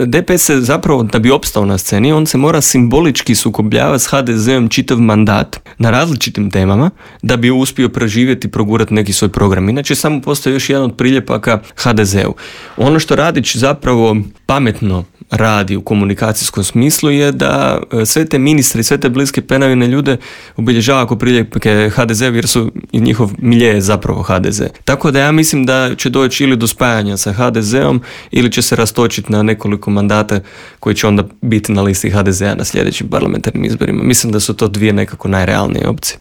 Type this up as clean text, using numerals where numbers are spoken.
DPS se zapravo, da bi opstao na sceni, on se mora simbolički sukobljavati s HDZ-om čitav mandat na različitim temama da bi uspio preživjeti i progurati neki svoj program. Inače samo postoji još jedan od priljepaka HDZ-u. Ono što Radić zapravo pametno radi u komunikacijskom smislu je da sve te ministre i sve te bliske penavine ljude obilježava ako priljepke HDZ, jer su i njihov milje je zapravo HDZ. Tako da ja mislim da će doći ili do spajanja sa HDZ-om ili će se rastočiti na nekoliko mandata koji će onda biti na listi HDZ-a na sljedećim parlamentarnim izborima. Mislim da su to dvije nekako najrealnije opcije.